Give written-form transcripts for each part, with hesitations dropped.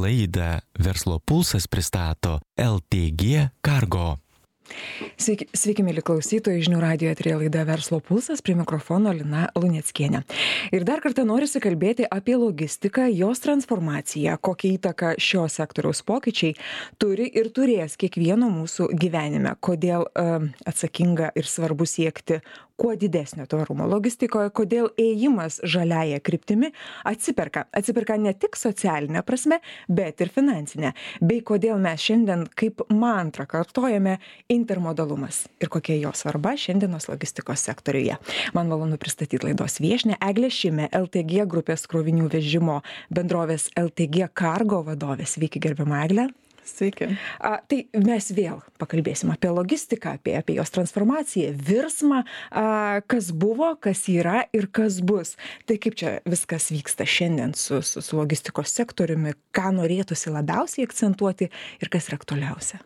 Laidą Verslo pulsas pristato LTG Cargo. Sveiki, mėly klausytojai, žinių radijo eteryje laida Verslo pulsas, prie mikrofono Lina Luneckienė. Ir dar kartą norisi kalbėti apie logistiką, jos transformaciją, kokią įtaką šio sektoriaus pokyčiai turi ir turės kiekvieno mūsų gyvenime, kodėl atsakinga ir svarbu siekti kuo didesnio tvarumo logistikoje, kodėl ėjimas žaliąja kryptimi atsiperka ne tik socialinė prasme, bet ir finansinė, bei kodėl mes šiandien kaip mantrą kartojame intermodalumas ir kokia jo svarba šiandienos logistikos sektoriuje. Man malonu pristatyti laidos viešnią Eglę Šimę, LTG grupės krovinių vežimo bendrovės LTG Cargo vadovė. Sveiki, gerbiama Egle. Sveiki. Tai mes vėl pakalbėsim apie logistiką, apie jos transformaciją, virsmą, kas buvo, kas yra ir kas bus. Tai kaip čia viskas vyksta šiandien su logistikos sektoriumi, ką norėtųsi labiausiai akcentuoti ir kas yra aktualiausia?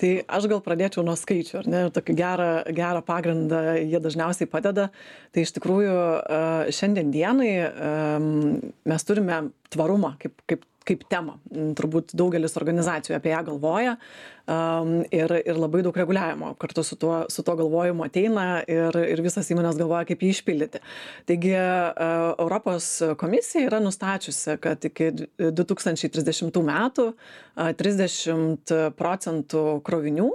Tai aš gal pradėčiau nuo skaičių, ar ne? Tokį gerą pagrindą jie dažniausiai padeda. Tai iš tikrųjų šiandien dienai mes turime tvarumą kaip temą. Turbūt daugelis organizacijų apie ją galvoja ir labai daug reguliavimo kartu su tuo galvojimu ateina ir visas įmonės galvoja, kaip jį išpildyti. Taigi Europos komisija yra nustačiusi, kad iki 2030 metų 30% krovinių,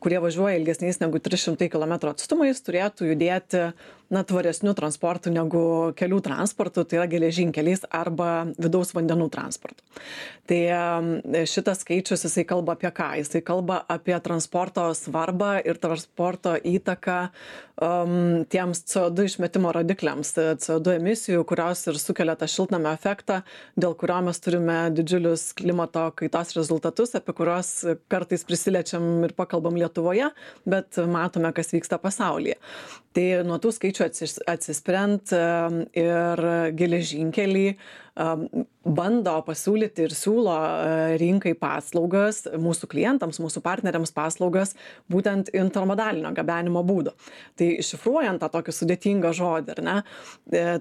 kurie važiuoja ilgesniais negu 300 km atstumais, turėtų judėti tvaresniu transportu negu kelių transportu, tai yra geležinkeliais arba vidaus vandenų transportu. Tai šitas skaičius, jisai kalba apie ką? Jisai kalba apie transporto svarbą ir transporto įtaką tiems CO2 išmetimo rodikliams, CO2 emisijų, kurios ir sukelia tą šiltnamio efektą, dėl kurio mes turime didžiulius klimato kaitos rezultatus, apie kuriuos kartais prisiliečiam ir pakalbam Lietuvoje, bet matome, kas vyksta pasaulyje. Tai nuo tų skaičių atsispirant ir geležinkeliai bando pasiūlyti ir siūlo rinkai paslaugas, mūsų klientams, mūsų partneriams paslaugas, būtent intermodalinio gabenimo būdo. Tai iššifruojant tą tokį sudėtingą žodį, ar ne?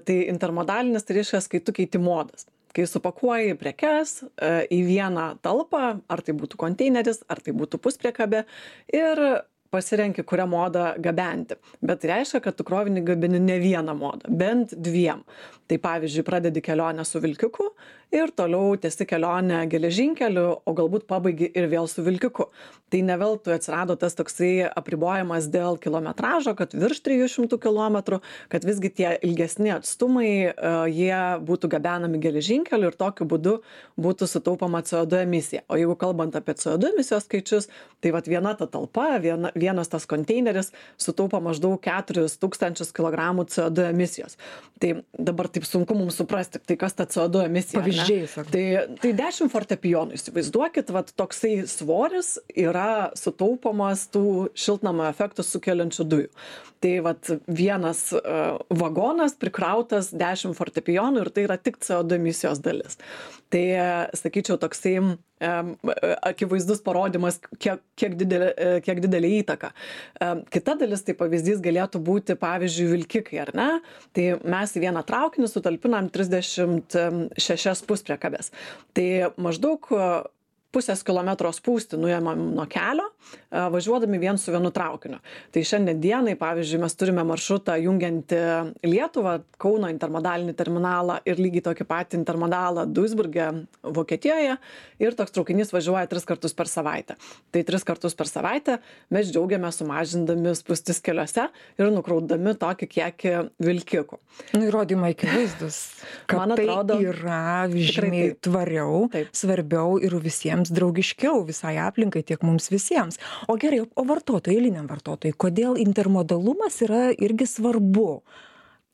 Tai intermodalinis tai reiškia, kai tu keiti modas. Kai supakuoji prekes į vieną talpą, ar tai būtų konteineris, ar tai būtų puspriekabė, ir pasirenki, kurią modą gabenti. Bet tai reiškia, kad tu krovinį gabini ne vieną modą, bent dviem. Tai pavyzdžiui, pradedi kelionę su vilkiku ir toliau tęsi kelionę geležinkeliu, o galbūt pabaigi ir vėl su vilkiku. Tai ne veltui atsirado tas toksai apribojimas dėl kilometražo, kad virš 300 km, kad visgi tie ilgesni atstumai jie būtų gabenami geležinkeliu ir tokiu būdu būtų sutaupama CO2 emisija. O jeigu kalbant apie CO2 emisijos skaičius, tai viena ta talpa, vienas tas konteineris sutaupa maždaug 4000 kg CO2 emisijos. Tai dabar taip sunku mums suprasti, tai kas ta CO2 emisija. Pavyzdžiai, tai 10 fortepijonų, įsivaizduokit, toksai svoris yra sutaupomas tų šiltnamio efektų sukeliančių dujų. Tai vienas vagonas prikrautas 10 fortepijonų ir tai yra tik CO2 emisijos dalis. Tai, sakyčiau, toksai akivaizdus parodymas, kiek didelė įtaka. Kita dalis, tai pavyzdys galėtų būti, pavyzdžiui, vilkikai, ar ne? Tai mes į vieną traukinį sutalpinam 36 puspriekabės. Tai maždaug pusės kilometro spūstį nuėmam nuo kelio, važiuodami vien su vienu traukiniu. Tai šiandien dienai, pavyzdžiui, mes turime maršrutą jungiantį Lietuvą, Kauno intermodalinį terminalą ir lygiai tokį patį intermodalą Duisburge, Vokietijoje, ir toks traukinys važiuoja 3 kartus per savaitę. Tai 3 kartus per savaitę mes džiaugiame sumažindami spūstis keliuose ir nukraudami tokį kiekį vilkikų. Įrodymai akivaizdus, kad man atrodo, tai yra žymiai tvariau, svarbiau ir visiems draugiškiau visai aplinkai, tiek mums visiems. O gerai, o vartotojai, eiliniam vartotojai, kodėl intermodalumas yra irgi svarbu?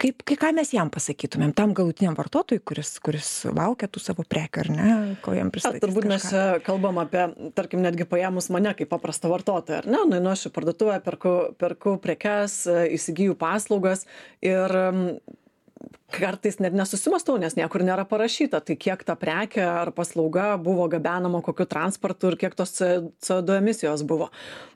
Ką mes jam pasakytumėm, tam galutiniam vartotojui, kuris laukia tų savo prekių, ar ne, ko jam pristatys? Turbūt mes kalbam apie, tarkim, netgi paėmus mane kaip paprastą vartotoją, ar ne? Nueinu aš į parduotuvę, perku prekes, įsigiju paslaugas ir kartais net nesusimąstau, nes niekur nėra parašyta, tai kiek ta prekė ar paslauga buvo gabenama kokiu transportu ir kiek tos CO2 emisijos buvo.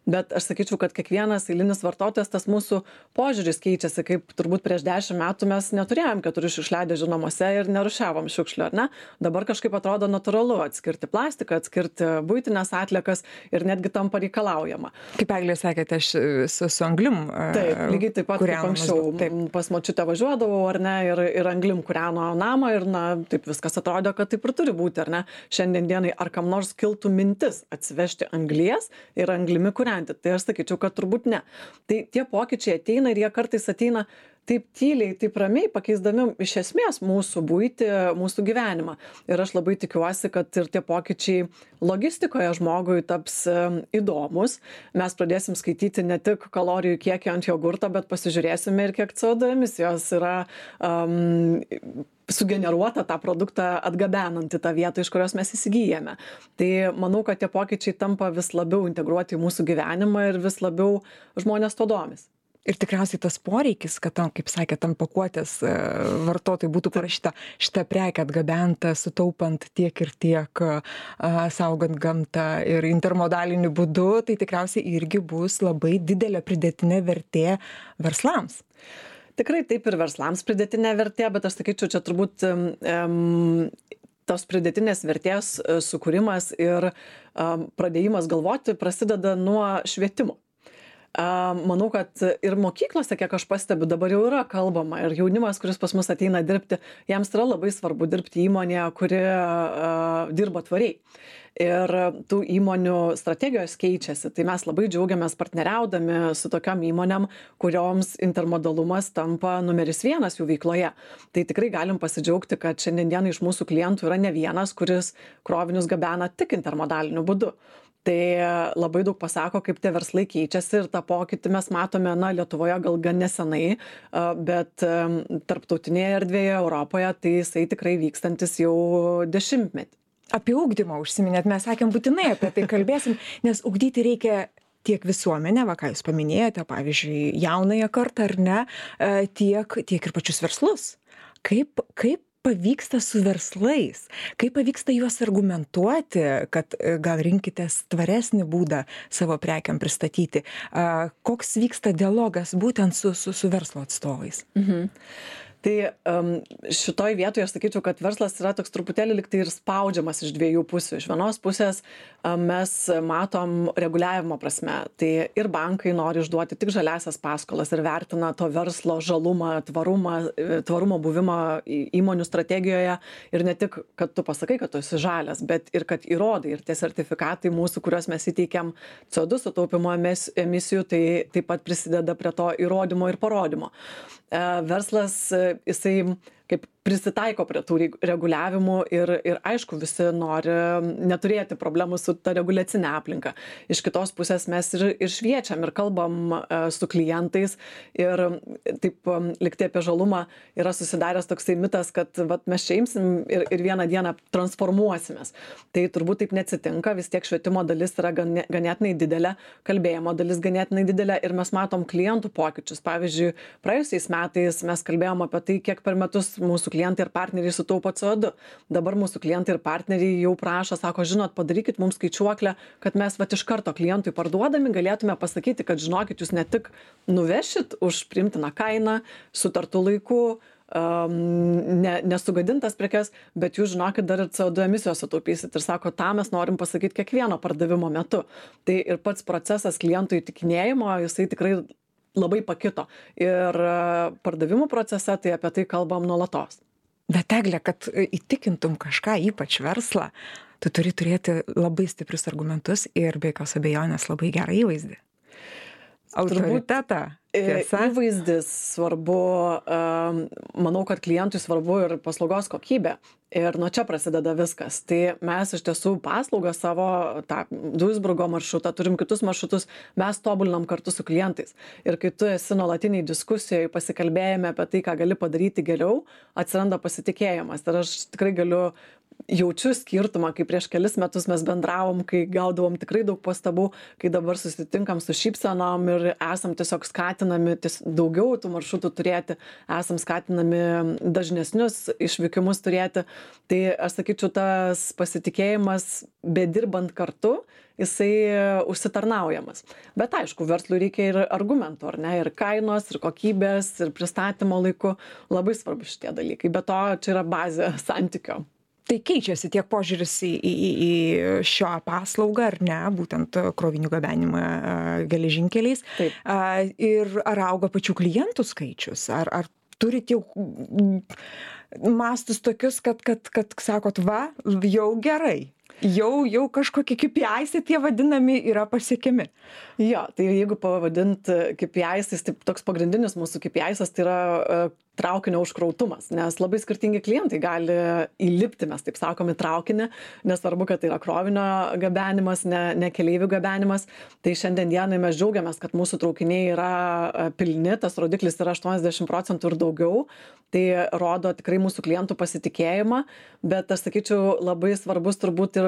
Bet aš sakyčiau, kad kiekvienas eilinis vartotojas, tas mūsų požiūris keičiasi, kaip turbūt prieš 10 metų mes neturėjom 4 šiukšliadėžių namuose ir nerūšiavom šiukšlių, ar ne? Dabar kažkaip atrodo natūralu atskirti plastiką, atskirti buitinės atliekas ir netgi tampa reikalaujama. Kaip Eglė sakėte, aš su anglim. Taip, lygiai taip pat kaip anksčiau. Pas močiutę važiuodavau, ar ne, ir anglim kūreno namą ir, na, taip viskas atrodo, kad taip ir turi būti, ar ne? Šiandien dienai ar kam nors kiltų mintis atsivežti anglies ir anglimi kūrenti. Tai aš sakyčiau, kad turbūt ne. Tai tie pokyčiai ateina ir jie kartais ateina taip tyliai, taip ramiai, pakeisdami iš esmės mūsų buitį, mūsų gyvenimą. Ir aš labai tikiuosi, kad ir tie pokyčiai logistikoje žmogui taps įdomus. Mes pradėsim skaityti ne tik kalorijų kiekį ant jogurto, bet pasižiūrėsime ir kiek CO2 emisijos yra sugeneruota tą produktą atgabenant į tą vietą, iš kurios mes įsigyjame. Tai manau, kad tie pokyčiai tampa vis labiau integruoti į mūsų gyvenimą ir vis labiau žmonės to domis. Ir tikriausiai tas poreikis, kad tam, kaip sakė, tam pakuotės vartotojai būtų parašyta šitą prekę atgabenta, sutaupant tiek ir tiek, saugant gamtą ir intermodaliniu būdu, tai tikriausiai irgi bus labai didelė pridėtinė vertė verslams. Tikrai taip ir verslams pridėtinė vertė, bet aš sakyčiau, čia turbūt tos pridėtinės vertės sukūrimas ir pradėjimas galvoti prasideda nuo švietimo. Manau, kad ir mokyklose, kiek aš pastebiu, dabar jau yra kalbama ir jaunimas, kuris pas mus ateina dirbti, jiems yra labai svarbu dirbti įmonėje, kuri dirba tvariai. Ir tų įmonių strategijos keičiasi. Tai mes labai džiaugiamės partneriaudami su tokiom įmonėm, kurioms intermodalumas tampa numeris 1 jų veikloje. Tai tikrai galim pasidžiaugti, kad šiandien iš mūsų klientų yra ne vienas, kuris krovinius gabena tik intermodaliniu būdu. Tai labai daug pasako, kaip tie verslai keičiasi ir tą pokytį mes matome, Lietuvoje gal gan nesenai, bet tarptautinėje erdvėje Europoje tai jisai tikrai vykstantis jau 10 metį. Apie ugdymą užsiminėt, mes sakėm būtinai apie tai kalbėsim, nes ugdyti reikia tiek visuomenę, ką jūs paminėjote, pavyzdžiui, jaunąją kartą ar ne, tiek ir pačius verslus. Kaip pavyksta su verslais, kaip pavyksta juos argumentuoti, kad gal rinkitės tvaresnį būdą savo prekiam pristatyti. Koks vyksta dialogas būtent su verslo atstovais? Tai šitoj vietoje aš sakyčiau, kad verslas yra toks truputėlį liktai ir spaudžiamas iš dviejų pusių. Iš vienos pusės mes matom reguliavimo prasme, tai ir bankai nori išduoti tik žaliasias paskolas ir vertina to verslo žalumą, tvarumo buvimą įmonių strategijoje ir ne tik, kad tu pasakai, kad tu esi žalias, bet ir kad įrodai ir tie sertifikatai mūsų, kuriuos mes įteikiam CO2 sutaupimo emisijų, tai taip pat prisideda prie to įrodymo ir parodymo. Verslas jisai kaip prisitaiko prie tų reguliavimų ir aišku, visi nori neturėti problemų su ta reguliacinė aplinka. Iš kitos pusės mes ir šviečiam ir kalbam su klientais ir taip liktai apie žalumą yra susidaręs toksai mitas, kad mes čia imsim ir vieną dieną transformuosimės. Tai turbūt taip neatsitinka, vis tiek švietimo dalis yra ganėtinai didelė, kalbėjimo dalis ganėtinai didelė ir mes matom klientų pokyčius. Pavyzdžiui, praėjusiais metais mes kalbėjom apie tai, kiek per metus mūsų klientai ir partneriai sutaupo CO2. Dabar mūsų klientai ir partneriai jau prašo, sako, žinot, padarykit mums skaičiuoklę, kad mes iš karto klientui parduodami galėtume pasakyti, kad žinokit, jūs ne tik nuvešit už priimtiną kainą, sutartų laiku, nesugadintas prekes, bet jūs žinokit, dar ir CO2 emisijos sutaupysit. Ir sako, tą mes norim pasakyti kiekvieno pardavimo metu. Tai ir pats procesas klientų įtikinėjimo, jisai tikrai labai pakito. Ir pardavimų procese tai apie tai kalbam nuolatos. Bet Egle, kad įtikintum kažką, ypač verslą, tu turi turėti labai stiprius argumentus ir be jokios abejonės labai gerą įvaizdį. Autoritetą. Įvaizdis svarbu, manau, kad klientui svarbu ir paslaugos kokybė. Ir nuo čia prasideda viskas. Tai mes iš tiesų paslaugą savo, tą Duisburgo maršrutą, turim kitus maršrutus, mes tobulinam kartu su klientais. Ir kai tu esi nuolatiniai diskusijoje, pasikalbėjome apie tai, ką gali padaryti geriau, atsiranda pasitikėjimas. Ir aš tikrai galiu jaučiu skirtumą, kai prieš kelis metus mes bendravom, kai gaudavom tikrai daug pastabų, kai dabar susitinkam su šypsenom ir esam tiesiog skatinami daugiau tų maršrutų turėti, esam skatinami dažnesnius išvykimus turėti. Tai aš sakyčiau, tas pasitikėjimas, bedirbant kartu, jisai užsitarnaujamas. Bet aišku, verslui reikia ir argumentų, ar ne, ir kainos, ir kokybės, ir pristatymo laiku. Labai svarbu šitie dalykai. Be to, čia yra bazė santykio. Tai keičiasi tiek požiūris į šią paslaugą, ar ne, būtent krovinių gabenimą geležinkeliais. Taip. Ir ar auga pačių klientų skaičius? Ar turit jau mastus tokius, kad sakot, va, jau gerai. Jau kažkokie KPIs tie vadinami yra pasiekiami. Jo, tai jeigu pavadint KPIs, tai toks pagrindinis mūsų KPIs tai yra traukinio užkrautumas, nes labai skirtingi klientai gali įlipti, mes taip sakom, į traukinį, nesvarbu, kad tai yra krovinio gabenimas, ne keleivių gabenimas. Tai šiandien dienai mes džiaugiamės, kad mūsų traukiniai yra pilni, tas rodiklis yra 80% ir daugiau. Tai rodo tikrai mūsų klientų pasitikėjimą, bet aš sakyčiau, labai svarbus turbūt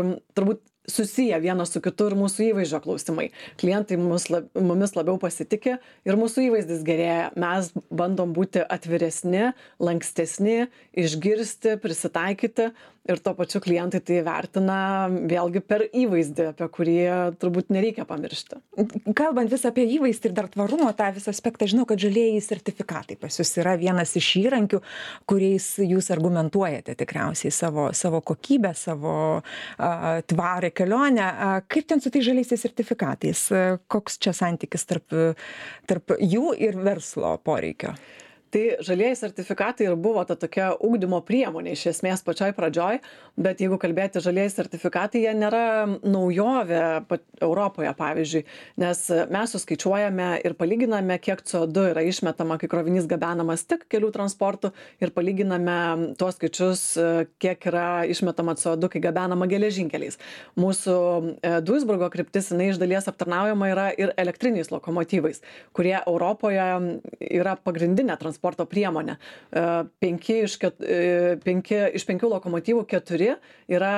susiję vienas su kitu ir mūsų įvaizdžio klausimai. Klientai mumis labiau pasitikė ir mūsų įvaizdis gerėja. Mes bandom būti atviresni, lankstesni, išgirsti, prisitaikyti ir tuo pačiu klientai tai vertina vėlgi per įvaizdį, apie kurį turbūt nereikia pamiršti. Kalbant vis apie įvaizdį ir dar tvarumo tą visą aspektą, žinau, kad žalieji sertifikatai pas jūs yra vienas iš įrankių, kuriais jūs argumentuojate tikriausiai savo kokybę, savo tvarę kelionę. Kaip ten su tai žaliaisiais sertifikatais? Koks čia santykis tarp jų ir verslo poreikio? Tai žalieji sertifikatai ir buvo ta tokia ugdymo priemonė iš esmės pačioj pradžioj, bet jeigu kalbėti žalieji sertifikatai, jie nėra naujovė Europoje, pavyzdžiui, nes mes suskaičiuojame ir palyginame, kiek CO2 yra išmetama, kai krovinys gabenamas tik kelių transportų ir palyginame tuos skaičius, kiek yra išmetama CO2, kai gabenama geležinkeliais. Mūsų Duisburgo kryptis, jinai iš dalies aptarnaujama yra ir elektriniais lokomotyvais, kurie Europoje yra pagrindinė transporto priemonė. 5 iš 5 lokomotyvų 4 yra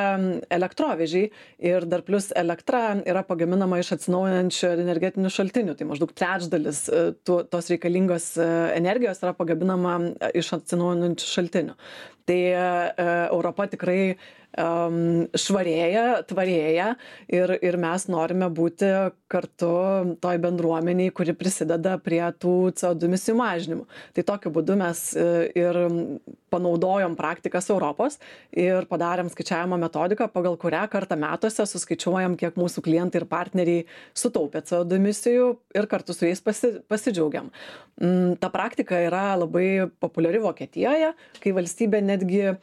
elektrovežiai ir dar plus elektra yra pagaminama iš atsinaujinančių energetinių šaltinių. Tai maždaug trečdalis tos reikalingos energijos yra pagaminama iš atsinaujinančių šaltinių. Tai Europa tikrai švarėja, tvarėja ir mes norime būti kartu toj bendruomeniai, kuri prisideda prie tų CO2 emisijų mažinimų. Tai tokiu būdu mes ir panaudojom praktikas Europos ir padarėm skaičiavimo metodiką, pagal kurią kartą metuose suskaičiuojam, kiek mūsų klientai ir partneriai sutaupė CO2 emisijų ir kartu su jais pasidžiaugiam. Ta praktika yra labai populiari Vokietijoje, kai valstybė netgi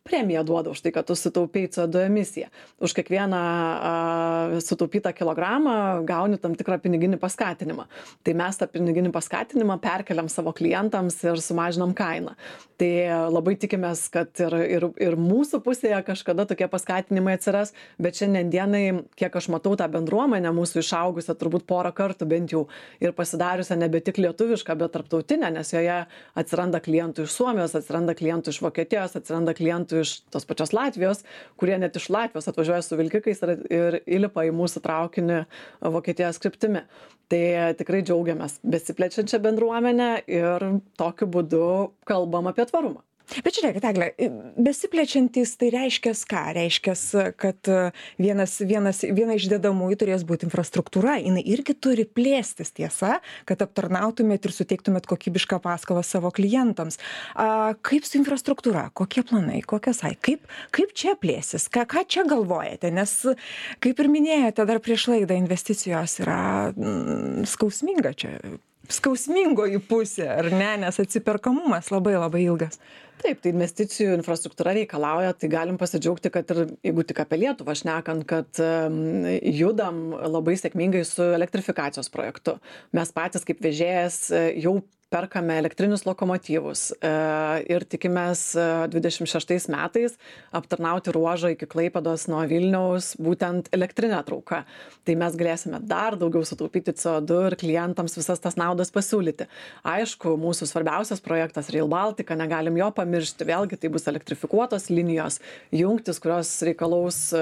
premiją duoda už tai, kad tu sutaupėjai CO2 emisiją. Už kiekvieną sutaupytą kilogramą gauni tam tikrą piniginį paskatinimą. Tai mes tą piniginį paskatinimą perkeliam savo klientams ir sumažinam kainą. Tai labai tikimės, kad ir mūsų pusėje kažkada tokie paskatinimai atsiras, bet šiandien dienai, kiek aš matau tą bendruomenę mūsų išaugusią turbūt porą kartų bent jau ir pasidariusią nebe tik lietuvišką, bet tarptautinę, nes joje atsiranda klientų iš Suomijos, atsiranda klientų iš Vokietijos, atsiranda klientų iš tos pačios Latvijos, kurie net iš Latvijos atvažiuoja su vilkikais ir įlipa į mūsų traukinį Vokietijos kryptimi. Tai tikrai džiaugiamės besiplečiančią bendruomenę ir tokiu būdu kalbam apie tvarumą. Bet žiūrėkit, Egle, besiplečiantys tai reiškia ką? Reiškia, kad viena iš dedamųjų turės būti infrastruktūra. Jinai irgi turi plėstis, tiesa, kad aptarnautumėt ir suteiktumėt kokybišką paskolą savo klientams. Kaip su infrastruktūra? Kokie planai? Kaip čia plėsis? Ką čia galvojate? Nes, kaip ir minėjote, dar prieš laidą investicijos yra skausminga čia. Skausmingoji pusė, ar ne, nes atsiperkamumas labai ilgas. Taip, tai investicijų infrastruktūra reikalauja, tai galim pasidžiaugti, kad ir jeigu tik apie Lietuvą šnekant, kad judam labai sėkmingai su elektrifikacijos projektu. Mes patys kaip vežėjas jau perkame elektrinius lokomotyvus ir tikimės 26 metais aptarnauti ruožą iki Klaipėdos nuo Vilniaus būtent elektrinę trauką. Tai mes galėsime dar daugiau sutaupyti CO2 ir klientams visas tas naudas pasiūlyti. Aišku, mūsų svarbiausias projektas Rail Baltica, negalim jo pamiršti, vėlgi tai bus elektrifikuotos linijos, jungtis, kurios reikalaus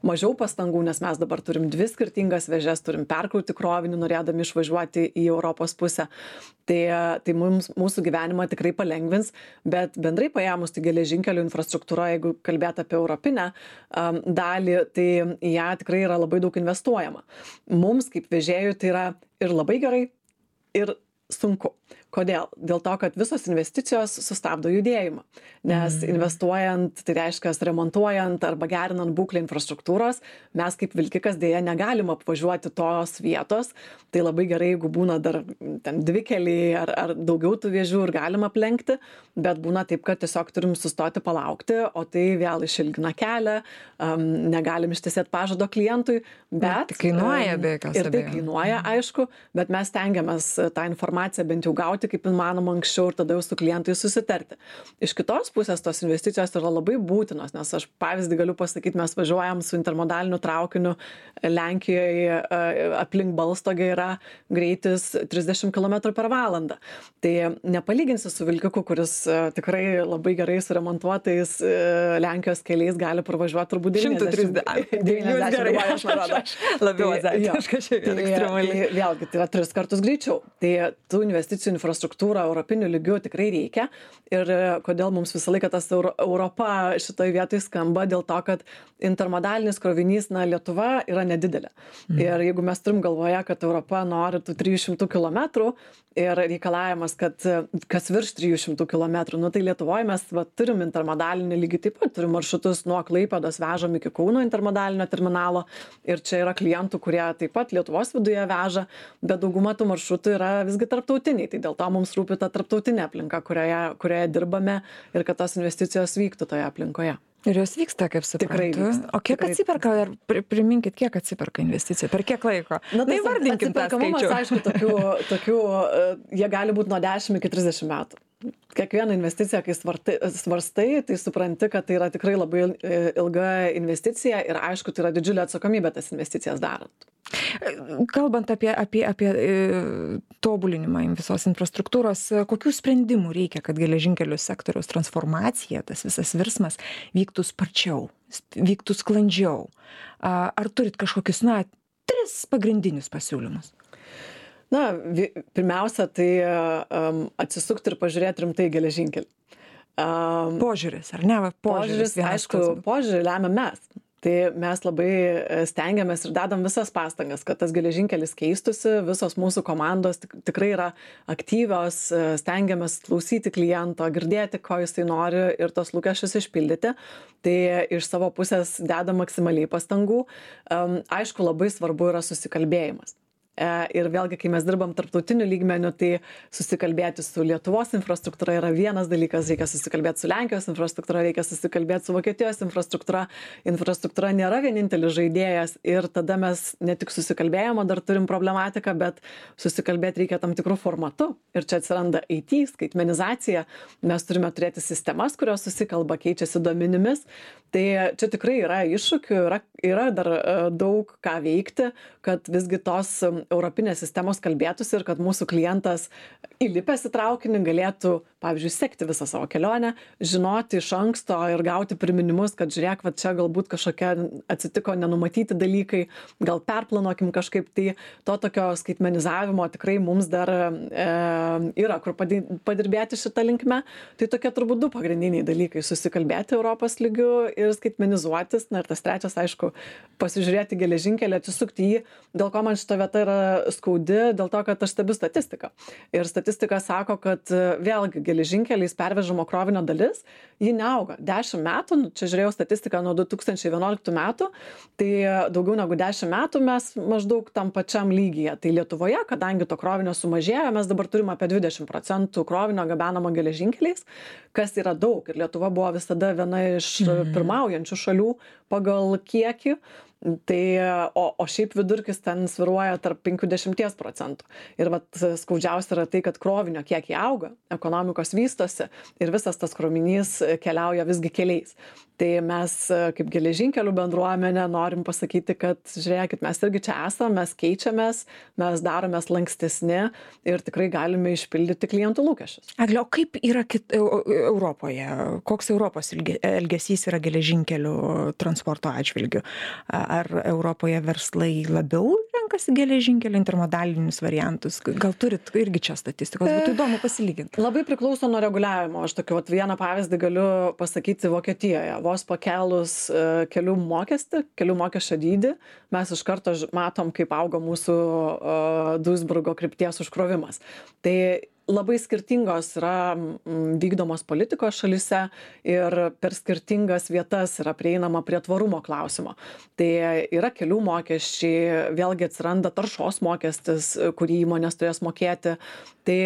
mažiau pastangų, nes mes dabar turim 2 skirtingas vėžes, turim perkrauti krovinį, norėdami išvažiuoti į Europos pusę. Tai mūsų gyvenimą tikrai palengvins, bet bendrai paėmus tai geležinkelių infrastruktūra, jeigu kalbėt apie europinę dalį, tai į ją tikrai yra labai daug investuojama. Mums kaip vežėjų tai yra ir labai gerai, ir sunku. Kodėl? Dėl to, kad visos investicijos sustabdo judėjimą. Nes investuojant, tai reiškia remontuojant arba gerinant būklę infrastruktūros, mes kaip vilkikas dėja negalim apvažiuoti tos vietos. Tai labai gerai, jeigu būna dar ten 2 keliai ar daugiau tų vėžių ir galim aplenkti, bet būna taip, kad tiesiog turim sustoti palaukti, o tai vėl išilgina kelią, negalim ištesėti pažado klientui, bet... Tai kainuoja be jokios abejonės. Ir tai kainuoja, aišku, bet mes stengiamės tą informaciją bent jau gauti kaip įmanoma anksčiau ir tada jau su klientais susitarti. Iš kitos pusės tos investicijos yra labai būtinos, nes aš pavyzdį galiu pasakyti, mes važiuojam su intermodaliniu traukiniu Lenkijoje, aplink Balstogę yra greitis 30 km per valandą. Tai nepalyginsi su vilkiku, kuris tikrai labai gerai suremontuotais Lenkijos keliais gali pravažiuoti turbūt 90. Labiau azartiška šiandien ekstremaliai. Vėlgi, tai yra 3 kartus greičiau. Tai tų investicijų infrastruktūrą europiniu lygiu tikrai reikia. Ir kodėl mums visą laiką tas Europa šitoje vietoje skamba, dėl to, kad intermodalinis krovinys, Lietuva yra nedidelė. Ir jeigu mes turim galvoje, kad Europa nori tų 300 km ir reikalavimas, kad kas virš 300 km, tai Lietuvoje mes turim intermodalinį lygį, taip pat turim maršrutus nuo Klaipėdos vežam iki Kauno intermodalinio terminalo ir čia yra klientų, kurie taip pat Lietuvos viduje veža, bet dauguma tų maršrutų yra visgi tarptautiniai, tai dėl to mums rūpi ta tarptautinė aplinka, kurioje dirbame ir kad tos investicijos vyktų toje aplinkoje. Ir jos vyksta, kaip suprantu. Tikrai vyksta. O kiek atsiperka, ar priminkit, kiek atsiperka investicija, per kiek laiko? Įvardinkim tą skaičių. Aišku, tokių, jie gali būti nuo 10 iki 30 metų. Kiekvieną investiciją, kai svarstai, tai supranti, kad tai yra tikrai labai ilga investicija ir aišku, tai yra didžiulė atsakomybė tas investicijas darant. Kalbant apie tobulinimą visos infrastruktūros, kokių sprendimų reikia, kad geležinkelių sektoriaus transformacija, tas visas virsmas vyktų sparčiau, vyktų sklandžiau? Ar turit kažkokius, 3 pagrindinius pasiūlymus? Pirmiausia, tai atsisukti ir pažiūrėti rimtai geležinkelį. Požiūris, ar ne? Požiūris, aišku, požiūrį lemia mes. Tai mes labai stengiamės ir dedam visas pastangas, kad tas geležinkelis keistųsi, visos mūsų komandos tikrai yra aktyvios, stengiamės klausyti kliento, girdėti, ko jisai nori ir tos lūkesčius išpildyti. Tai iš savo pusės dedam maksimaliai pastangų. Aišku, labai svarbu yra susikalbėjimas. Ir vėlgi, kai mes dirbam tarptautiniu lygmeniu, tai susikalbėti su Lietuvos infrastruktūra yra vienas dalykas, reikia susikalbėti su Lenkijos infrastruktūra, reikia susikalbėti su Vokietijos infrastruktūra. Infrastruktūra nėra vienintelis žaidėjas ir tada mes ne tik susikalbėjimo dar turim problematiką, bet susikalbėti reikia tam tikrų formatų. Ir čia atsiranda IT, skaitmenizacija. Mes turime turėti sistemas, kurios susikalba, keičiasi duomenimis. Tai čia tikrai yra iššūkių, yra dar daug ką veikti, kad visgi tos europinės sistemos kalbėtųsi ir kad mūsų klientas įlipęs į traukinį galėtų, pavyzdžiui, sekti visą savo kelionę, žinoti iš anksto ir gauti priminimus, kad žiūrėk, čia galbūt kažkokia atsitiko nenumatyti dalykai, gal perplanuokim kažkaip, tai to tokio skaitmenizavimo tikrai mums dar yra, kur padirbėti šitą linkmę. Tai tokie turbūt 2 pagrindiniai dalykai - susikalbėti Europos lygiu ir skaitmenizuotis. Ir tas trečias, aišku, pasižiūrėti geležinkelį, atsisukti jį, dėl ko man šita vieta yra skaudi, dėl to, kad aš stebiu statistiką. Ir statistika sako, kad vėlgi geležinkeliais pervežamo krovinio dalis, ji neauga. 10 metų, čia žiūrėjau statistiką nuo 2011 metų, tai daugiau negu 10 metų mes maždaug tam pačiam lygyje. Tai Lietuvoje, kadangi to krovinio sumažėjo, mes dabar turime apie 20% krovinio gabenamo geležinkeliais, kas yra daug. Ir Lietuva buvo visada viena iš pirmaujančių šalių pagal kiekį. Tai, o šiaip vidurkis ten sviruoja tarp 5–10%. Ir skaudžiausia yra tai, kad krovinio kiekiai auga, ekonomikos vystosi ir visas tas krovinys keliauja visgi keliais. Tai mes kaip geležinkelių bendruomenė norim pasakyti, kad žiūrėkit, mes irgi čia esame, mes keičiamės, mes daromės lankstesni ir tikrai galime išpildyti klientų lūkesčius. Egle, o kaip yra Europoje? Koks Europos elgesys yra geležinkelių transporto atžvilgiu? Ar Europoje verslai labiau renkasi geležinkelio intermodalinius variantus? Gal turit irgi čia statistikos? Būtų įdomu pasilyginti. Labai priklauso nuo reguliavimo. Aš tokį vieną pavyzdį galiu pasakyti Vokietijoje. Vos pakelus kelių mokesčio dydį, mes iš karto matom, kaip auga mūsų Duisburgo krypties užkrovimas. Tai labai skirtingos yra vykdomos politikos šalyse ir per skirtingas vietas yra prieinama prie tvarumo klausimo. Tai yra kelių mokesčiai, vėlgi atsiranda taršos mokestis, kurį įmonės turės mokėti. Tai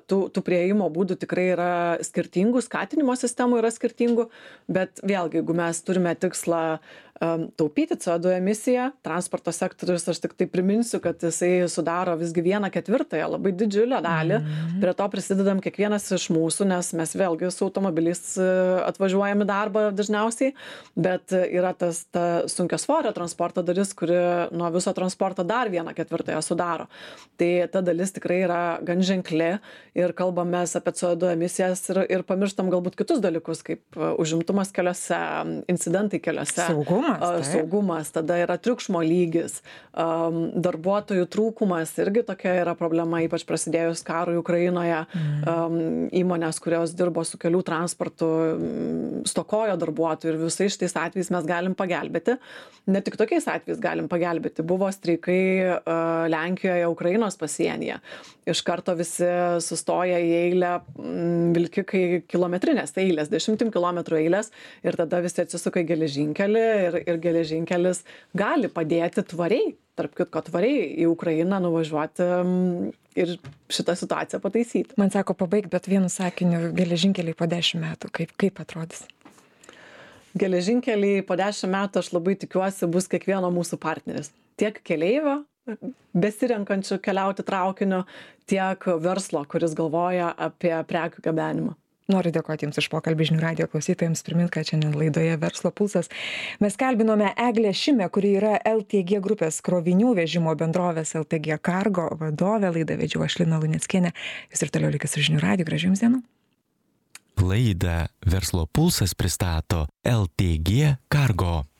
tų prieimo būdų tikrai yra skirtingų, skatinimo sistemų yra skirtingų, bet vėlgi, jeigu mes turime tikslą taupyti CO2 emisiją, transporto sektorius, aš tik tai priminsiu, kad jisai sudaro visgi 1/4, labai didžiulę dalį. Prie to prisidedam kiekvienas iš mūsų, nes mes vėlgi su automobiliais atvažiuojam į darbą dažniausiai, bet yra ta sunkiasvorio transporto dalis, kuri nuo viso transporto dar 1/4 sudaro. Tai ta dalis tikrai yra gan ženkli ir kalbamės apie CO2 emisijas ir pamirštam galbūt kitus dalykus, kaip užimtumas keliuose, incidentai keliuose. Saugumas, tada yra triukšmo lygis, darbuotojų trūkumas irgi tokia yra problema, ypač prasidėjus karui Ukrainoje. Įmonės, kurios dirbo su kelių transportu, stokojo darbuotojų ir visais šitais atvejais mes galim pagelbėti. Ne tik tokiais atvejais galim pagelbėti. Buvo streikai Lenkijoje, Ukrainos pasienyje. Iš karto visi sustoja į eilę, vilkikai kilometrinės eilės, 10 kilometrų eilės ir tada visi atsisuka į geležinkelį ir geležinkelis gali padėti tvariai, tarp kitko tvariai į Ukrainą nuvažiuoti ir šitą situaciją pataisyti. Man sako pabaig, bet vienu sakiniu, geležinkeliai po 10 metų, kaip atrodys? Geležinkeliai po 10 metų, aš labai tikiuosi, bus kiekvieno mūsų partneris. Tiek keleivio, besirenkančių keliauti traukiniu, tiek verslo, kuris galvoja apie prekių gabenimą. Noriu dėkoti Jums už pokalbį žinių radijo klausytojams. Primint, kad šiandien laidoje Verslo pulsas mes kalbinome Eglę Šimę, kuri yra LTG grupės krovinių vežimo bendrovės LTG Cargo vadovė. Laidą vedžiau aš, Lina Luneckienė. Jūs ir toliau likite su žinių radiju. Gražių Jums dienų. Laidą Verslo pulsas pristato LTG Cargo.